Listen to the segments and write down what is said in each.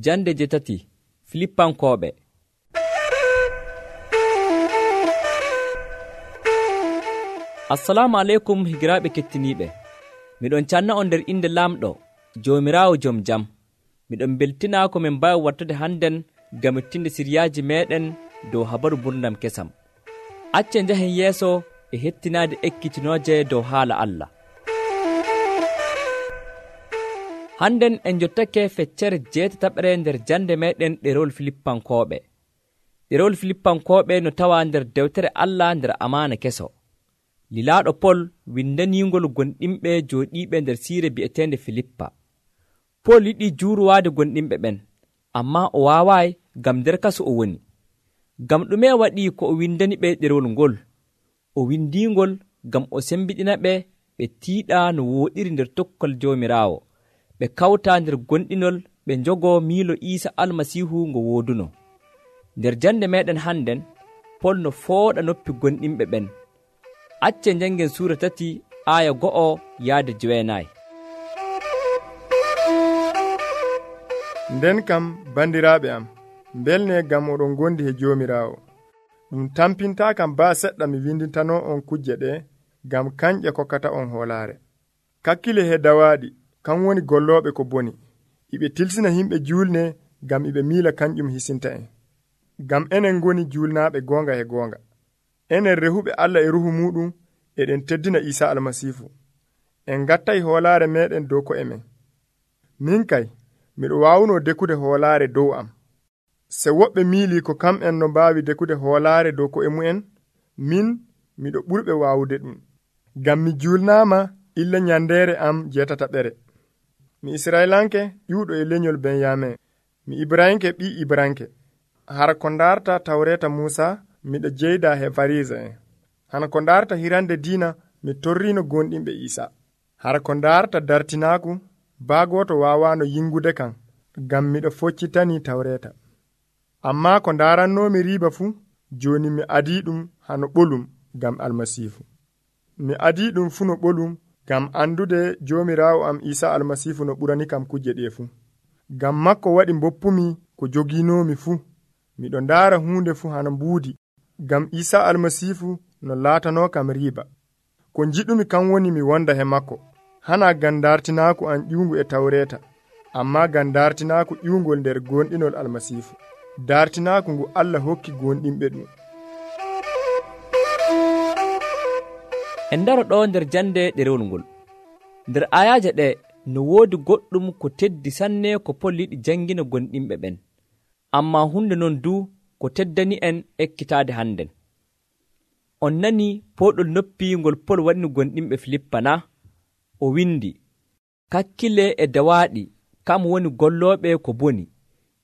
Jande 7 Filippankooɓe. Assalamu aleykum higiraaɓe kettiniiɓe. Miɗon canna on nder inde Laamɗo, Joomiraawo jom jam. Miɗon beltinaa ko min mbaawi wattude hannden ngam mettinde siryaaji meeɗen dow habaru gurdam kesam. Acce njahen yeeso e hettinaade ekkitinooje dow haala Allah. Hannden en jottake feccere 8 nder jande meeɗen ɗerewol Filippankooɓe. Ɗerewol Filippankooɓe no tawaa nder dewtere Allah nder amaana keso. Lilaaɗo Pol windaniingol gonɗinɓe jooɗiiɓe nder siire bi'eteende Filippa. Pol yiɗii juurowaade gonɗinɓe ɓen, ammaa o waawaayi ngam nder kaso o woni. Ngam ɗume waɗii ko o windani ɓe ɗerewol ngol? O windiingol ngam o sembiɗina ɓe tiiɗaa no wooɗiri nder tokkol Joomiraawo. Ɓe kawtaa nder gonɗinol ɓe njogoo miilo Iisa Almasiihu ngo wooduno. Nder jande meeɗen hannden, Pol no fooɗa noppi gonɗinɓe ɓen. Acce njangen suura 3 aaya 1 yaade 9. Nden kam bandiraaɓe am, mbelne ngam oɗon gondi he Joomiraawo. Ɗum tampintaa kam baa seɗɗa mi windintanoo on kujje ɗe ngam kanƴe kokkata on hoolaare. Kakkile he dawaaɗi kan woni gollooɓe ko boni, iɓe tilsina himɓe juulne ngam iɓe miila kanƴum hisinta en. Ngam enen ngoni juulnaaɓe goonga he goonga. Enen rehuɓe Allah e ruhu muɗum eɗen teddina Iisa Almasiihu. En ngattay hoolaare meɗen dow ko'e men. Min kay, miɗo waawunoo dekude hoolaare dow am. Se woɓɓe miilii ko kam'en no mbaawi dekude hoolaare dow ko'e mu'en, min miɗo ɓurɓe waawude ɗum. Ngam mi juulnaama illa nyandeere am 8. Mi Israelanke ƴuuɗo e lenyol Benyamin. Mi Ibrahimke ɓii Ibranke. Hara ko ndaarta tawreeta Muusa, miɗo jeyda he Fariisa en. Hana ko ndaarta hirande diina, mi torriino gonɗinɓe Iisa. Hara ko ndaarta dartinaaku, baagooto waawaano yingude kan, ngam miɗo foccitanii tawreeta. Ammaa ko ndaarannoomi riiba fuu, jooni mi adii ɗum hano ɓolum ngam Almasiihu. Mi adii ɗum fuu no ɓolum ngam andude Joomiraawo am Iisa Almasiihu no ɓurani kam kujje ɗe fuu. Ngam makko waɗi mboppumi ko jogiinoomi fuu. Miɗo ndaara huunde fuu hano mbuudi, ngam Iisa Almasiihu no laatanoo kam riiba. Ko njiɗumi kan woni mi wonda he makko, hana ngam dartinaaku an ƴuungu e tawreeta, ammaa ngam dartinaaku ƴuungol nder gonɗinol Almasiihu. Dartinaaku ngu Allah hokki gonɗinɓe ɗum. En ndaro ɗo nder jande ɗerewol ngol. Nder ayaaje ɗe no woodi goɗɗum ko teddi sanne ko Pol yiɗi jangina gonɗinɓe ɓen. Ammaa hunde non du ko teddani en ekkitaade hannden. On nani pooɗol noppi ngol Pol waɗini gonɗinɓe Filippa na? O windi, kakkile e dawaaɗi kam woni gollooɓe ko boni,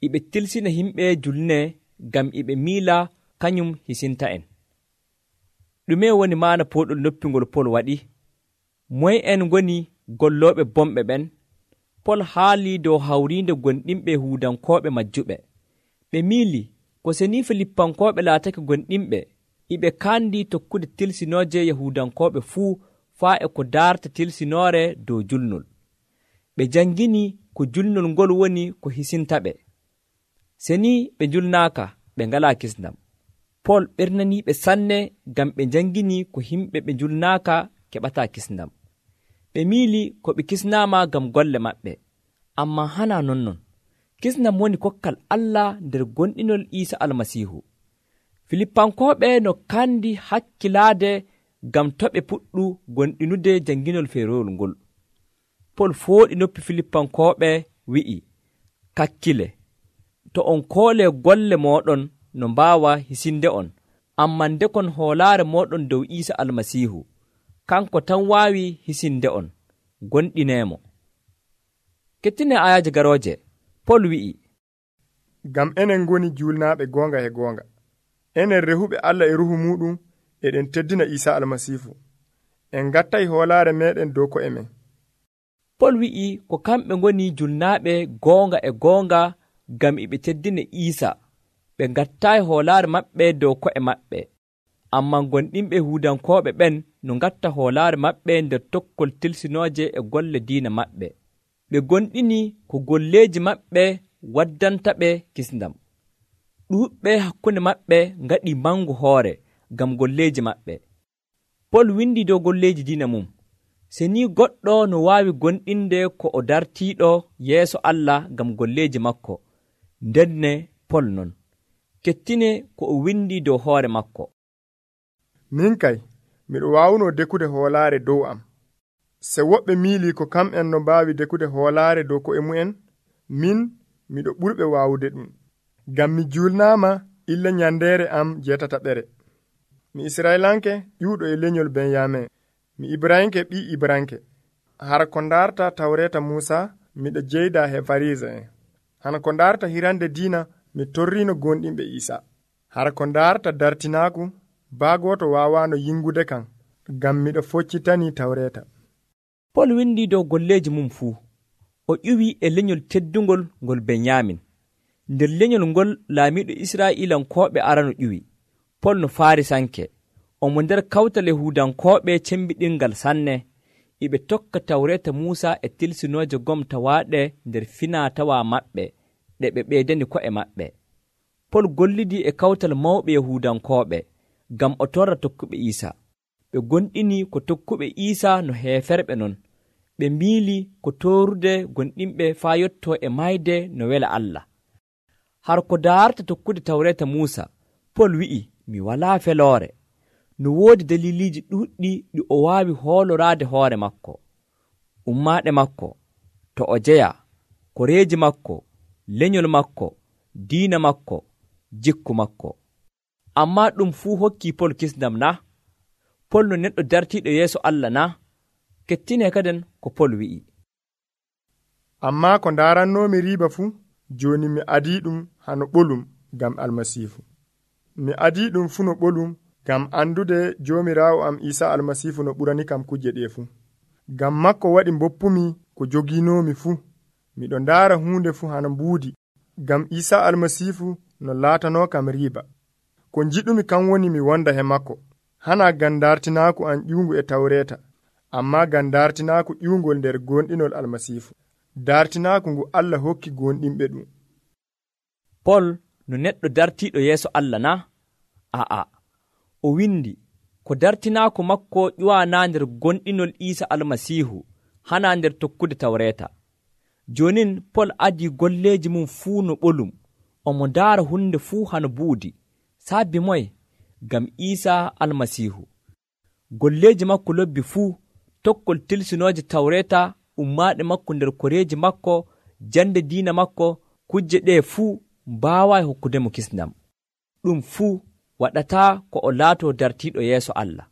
iɓe tilsina himɓe julne ngam iɓe miila kañum hisinta en. Ɗume woni maana pooɗol noppi ngol Pol waɗi? Moye en ngoni gollooɓe bomɓe ɓen? Pol haalii dow hawriinde gonɗinɓe huudankooɓe majjuɓe. Ɓe miili ko seni Filippankooɓe laatake gonɗinɓe, iɓe kaandi tokkude tilsinooje Yahuudankooɓe fuu faa e ko daarta tilsinoore dow julnol. Ɓe jangini ko julnol ngol woni ko hisintaɓe. Seni ɓe julnaaka, ɓe ngalaa kisndam. Pol ɓernaniiɓe sanne ngam ɓe jangini ko himɓe ɓe julnaaka keɓataa kisndam. Ɓe miili ko ɓe kisnaama ngam golle maɓɓe, ammaa hana nonnon. Kisndam woni kokkal Allah nder gonɗinol Iisa Almasiihu. Filippankooɓe no kandi hakkilaade ngam to ɓe puɗɗu gonɗinude janginol feerowol ngol. Pol fooɗi noppi Filippankooɓe wi'i, kakkile, to on koolee golle mooɗon no mbaawa hisinde on, ammaa ndekon hoolaare mooɗon dow Iisa Almasiihu, kanko tan waawi hisinde on, gonɗineemo. Kettine ayaaje garooje, Pol wi'i, ngam enen ngoni juulnaaɓe goonga he goonga. Enen rehuɓe Allah e ruhu muɗum eɗen teddina Iisa Almasiihu. En ngattay hoolaare meɗen dow ko'e men. Pol wi'i ko kamɓe ngoni julnaaɓe goonga e goonga ngam iɓe teddina Iisa. Ɓe ngattaayi hoolaare maɓɓe dow ko'e maɓɓe. Ammaa gonɗinɓe huudankooɓe ɓen no ngatta hoolaare maɓɓe nder tokkol tilsinooje e golle diina maɓɓe. Ɓe gonɗini ko golleeji maɓɓe waddantaɓe kisndam. Ɗuuɓɓe hakkunde maɓɓe ngaɗi mangu hoore ngam golleeji maɓɓe. Pol windi dow golleeji diina mum. Seni goɗɗo no waawi gonɗinde ko o dartiiɗo yeeso Allah ngam golleeji makko, ndenne Pol non kettine ko o windi dow hoore makko. Min kay miɗo waawuno dekude hoolaare dow am. Se woɓɓe miili ko kam'en no mbaawi dekude hoolaare dow ko'e mu'en, min miɗo ɓurɓe waawude ɗum. Ngam mi julnaama illa nyandeere am 6. Mi Israelanke ƴuuɗo e lenyol Benyamin. Mi Ibrahimke ɓii Ibranke. Hara ko ndaarta tawreeta Muusa miɗo jeyda he Farisa'en. Hana ko ndaarta hirande diina mi torriino gonɗinɓe Iisa. Hara ko ndaarta dartinaaku baagoto waawaano yingude kan ngam miɗo foccitani tawreeta. Pol windi dow golleeji mum fuu. O ƴuwi e lenyol teddungol ngol Benyamin. Nder lenyol ngol laamiiɗo Israa'ilankooɓe arano ƴuwi. Pol no Farisanke. Omo nder kawtal Yahuudankooɓe cembiɗingal sanne. Iɓe tokka tawreeta Muusa e tilsinooje gom tawaaɗe nder finaa-tawa maɓɓe ɗe ɓe ɓeydani ko'e maɓɓe. Pol gollidii e kawtal mawɓe Yahuudankooɓe ngam o torra tokkuɓe Iisa. Ɓe gonɗini ko tokkuɓe Iisa no heeferɓe non. Ɓe miili ko toorude gonɗinɓe faa yottoo e mayde no wela Allah. Har ko daarta tokkude tawreeta Muusa, Pol wi'i, mi walaa feloore. No woodi daliliiji ɗuuɗɗi ɗi o waawi hooloraade hoore makko, ummaaɗe makko, to o jeya, koreeji makko, lenyol makko, diina makko, jikku makko. Ammaa ɗum fuu hokkii Pol kisndam na? Pol no neɗɗo dartiiɗo yeeso Allah na? Kettine kaden ko Pol wi'i. Ammaa ko ndaarannoomi riiba fuu, jooni mi adii ɗum hano ɓolum ngam Almasiihu. Mi adii ɗum fuu no ɓolum ngam andude Joomiraawo am Iisa Almasiihu no ɓurani kam kuje ɗe fuu. Ngam makko waɗi mboppumi ko jogiinoomi fuu. Miɗo ndaara huunde fuu hano mbuudi, ngam Iisa Almasiihu no laatanoo kam riiba. Ko njiɗumi kan woni mi wonda he makko, hana ngam dartinaaku an ƴuungu e tawreeta, ammaa ngam dartinaaku ƴuungol nder gonɗinol Almasiihu. Dartinaaku ngu Allah hokki gonɗinɓe ɗum. Pol no neɗɗo dartiiɗo yeeso Allah na? A'a, o windi ko dartinaaku makko ƴuwanaa nder gonɗinol Iisa Almasiihu, hana nder tokkude tawreeta. Jonin Pol adii golleeji mum fuu no ɓolum, omo ndaara hunde fuu hano buudi. Saabi moye? Ngam Iisa Almasiihu. Golleeji makko lobbi fuu, tokkol tilsinooje tawreeta, ummaaɗe makko nder koreeji makko, jande diina makko, kujje ɗe fuu mbaawaayi hokkudemo kisndam. Ɗum fuu waɗataa ko o laatoo dartiiɗo yeeso Allah.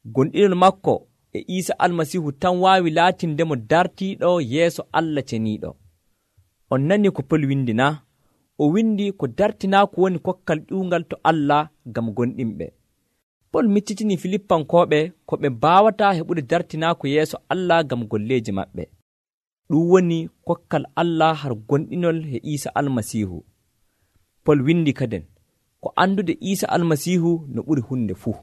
Gonɗinol makko e Iisa Almasiihu tan waawi laatindemo dartiiɗo yeeso Allah ceniiɗo. On nani ko Pol windi na? O windi ko dartinaaku woni kokkal ƴuungal to Allah ngam gonɗinɓe. Pol miccitinii Filippankooɓe ko ɓe mbaawataa heɓude dartinaaku yeeso Allah ngam golleeji maɓɓe. Ɗum woni kokkal Allah har gonɗinol he Iisa Almasiihu. Pol windi kaden ko andude Iisa Almasiihu no ɓuri hunde fuu.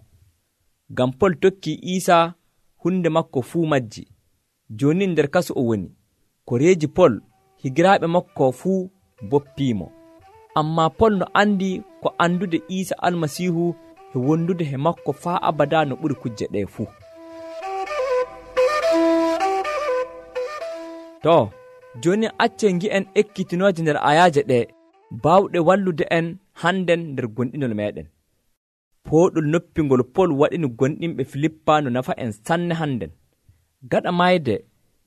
Ngam Pol tokkii Iisa, hunde makko fuu majji. Jooni nder kaso o woni. Koreeji Pol higiraaɓe makko fuu boppiimo. Ammaa Pol no andi ko andude Iisa Almasiihu e wondude he makko faa abada no ɓuri kujje ɗe fuu. To, jooni acce ngi'en ekkitinooje nder ayaaje ɗe baawɗe wallude en hannden nder gonɗinol meɗen. Pooɗol noppingol Pol waɗini gonɗinɓe Filippa no nafa en sanne hannden. Gaɗa mayde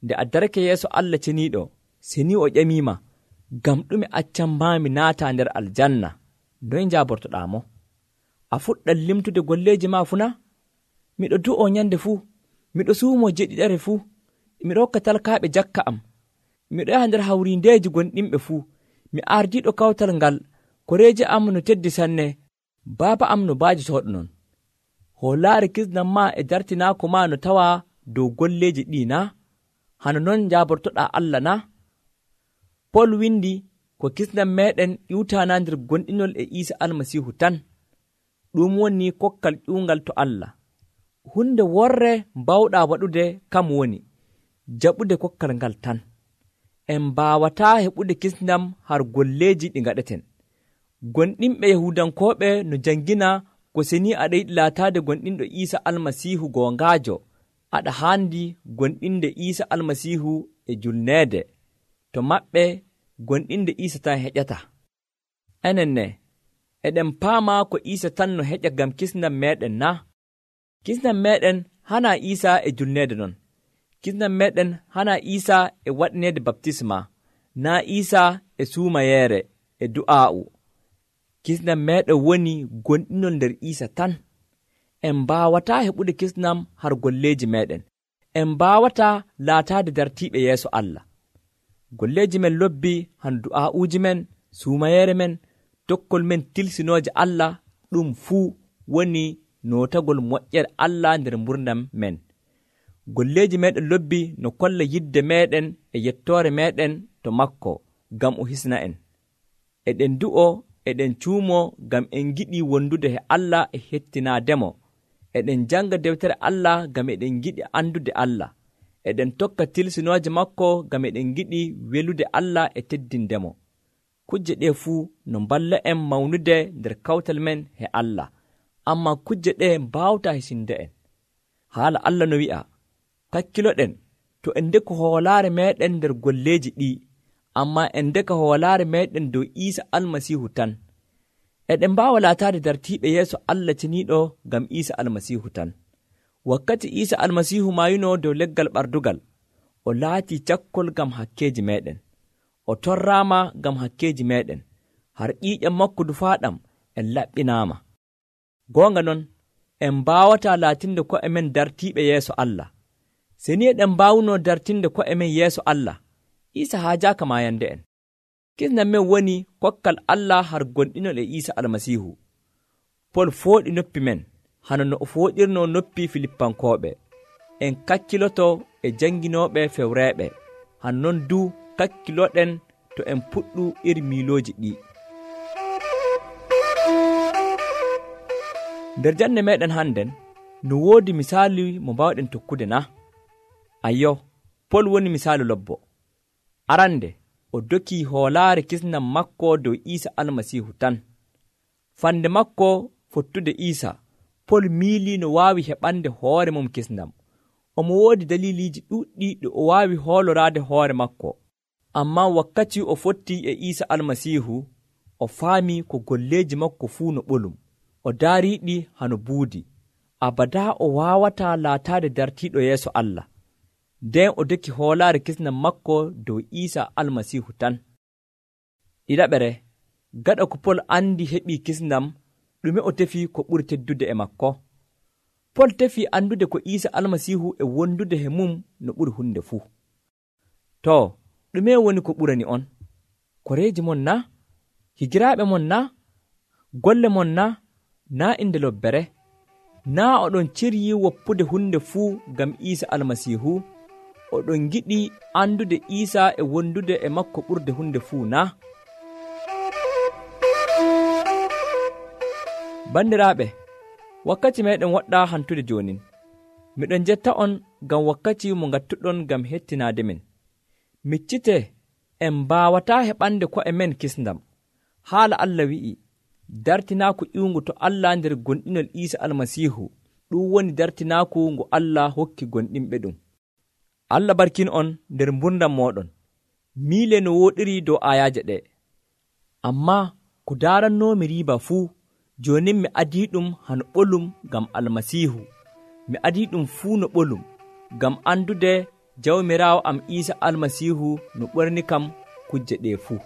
nde a darake yeeso Allah ceniiɗo, seni o ƴamiima, ngam ɗume accammaami naata nder aljanna, noy njaabortoɗaa mo? A fuɗɗat limtude golleeji maa fuu na? Miɗo du'oo nyande fuu, miɗo suumoo jeɗiɗare fuu, miɗo hokka talkaaɓe jakka am, miɗo yaha nder hawriindeeji gonɗinɓe fuu, mi ardiiɗo kawtal ngal, koreeji am no teddi sanne, baaba am no baajotooɗo non. Hoolaare kisnam maa e dartinaako maa no tawaa dow golleeji ɗii na? Hano non njaabortoɗaa Allah na? Pol windi ko kisnam meeɗen ƴiwtaanaa nder gonɗinol e Iisa Almasiihu tan. Ɗum woni kokkal ƴuungal to Allah. Hunde worre mbawɗaa waɗude kam woni jaɓude kokkal ngal tan. en mbaawataa heɓude kisndam har golleeji ɗi ngaɗeten. Gonɗinɓe Yahudankooɓe no jangina ko seni aɗa yiɗi laataade gonɗinɗo Iisa Almasiihu goongaajo, aɗa haandi gonɗinde Iisa Almasiihu e julneede. To maɓɓe gonɗinde Iisa tan heƴata. Enen ne, eɗen paama ko Iisa tan no heƴa ngam kisndam meeɗen na? Kisndam meeɗen hanaa Iisa e julneede non. Kisndam meeɗen hanaa Iisa e waɗineede baptisma, naa Iisa e suumayeere e du'aa'u. Kisndam meeɗen woni gonɗinol nder Iisa tan. En mbaawataa heɓude kisndam har golleeji meeɗen. En mbaawataa laataade dartiiɓe yeeso Allah. Golleeji men lobbi han du'aa'uuji men, suumayeere men, tokkol men tilsinooje Allah, ɗum fuu woni nootagol moƴƴere Allah nder mburdam men. Golleeji meeɗen lobbi no kolla yidde meeɗen e yettoore meeɗen to makko ngam o hisna en. Eɗen du'o, eɗen cuumoo ngam en giɗi wondude he Allah e hettinaademo. Eɗen janga dewtere Allah ngam eɗen giɗi andude Allah. Eɗen tokka tilsinooje makko ngam eɗen giɗi welude Allah e teddindemo. Kujje ɗe fuu no mballa en mawnude nder kawtal men he Allah, amma kujje ɗe mbawtaa hisinde en. Haala Allah no wi'a, kakkiloɗen to en ndeko hoolaare meeɗen nder golleeji ɗi, amma en ndeka hoolaare meeɗen dow Iisa Almasiihu tan. Eɗen mbaawa laataade dartiiɓe yeeso Allah ceniiɗo ngam Iisa Almasiihu tan. Wakkati Iisa Almasiihu maayunoo dow leggal ɓardugal, o laatii cakkol ngam hakkeeji meeɗen. O torraama ngam hakkeeji meeɗen, har ƴiiƴam makko dufaaɗam en laɓɓinaama. Goonga non, en mbaawataa laatinde ko'e men dartiiɓe yeeso Allah. Seni eɗen mbaawunoo dartinde ko'e men yeeso Allah, Iisa haajaaka maayande en. Kisndam men woni kokkal Allah har gonɗinol e Iisa Almasiihu. Pol fooɗi noppi men, hano no o fooɗirnoo noppi Filippankooɓe. En kakkiloto e janginooɓe fewreeɓe, han non du kakkiloɗen to en puɗɗu iri miilooji ɗi. Nder jande meɗen hannden, no woodi misaalu mo mbawɗen tokkude na? Ayyo, Pol woni misaalu lobbo. Arande, o doki hoolaare kisndam makko dow Iisa Almasiihu tan. Fande makko fottude Iisa, Pol miilii no waawi heɓande hoore mum kisndam. Omo woodi daliliiji ɗuuɗɗi ɗo o waawi hooloraade hoore makko. Amma wakkati o fotti e Iisa Almasiihu, o faami ko golleeji makko fuu no ɓolum. O daariiɗi hano buudi. Abadaa o waawataa laataade dartiiɗo yeeso Allah. Nden o doki hoolaare kisndam makko dow Iisa Almasiihu tan. Ɗiɗaɓere, gaɗa ko Pol andi heɓii kisndam, ɗume o tefi ko ɓuri teddude e makko? Pol tefi andude ko Iisa Almasiihu e wondude he mum no ɓuri hunde fuu. To, ɗume woni ko ɓurani on? Koreeji mon na? Higiraaɓe mon na? Golle mon na? Naa inde lobbere? Naa oɗon ciryi woppude hunde fuu ngam Iisa Almasiihu? Oɗon giɗi andude Iisa e wondude e makko ɓurde hunde fuu na? Bandiraaɓe, wakkati meɗen woɗɗa hantude jonin. Miɗon jetta on ngam wakkati mo ngattuɗon ngam hettinaade men. Miccite en mbaawataa heɓande ko'e men kisndam. Haala Allah wi'i, dartinaaku ƴiwngu to Allah nder gonɗinol Iisa Almasiihu, ɗum woni dartinaaku ngu Allah hokki gonɗinɓe ɗum. Allah barkin on nder mburdam mooɗon. Miile no wooɗiri dow ayaaje ɗe. Amma ko daarannoomi riiba fuu, jonin mi adii ɗum hano ɓolum ngam Almasiihu. Mi adii ɗum fuu no ɓolum, ngam andude Jawmiraawo am Iisa Almasiihu no ɓorni kam kujje ɗe fuu.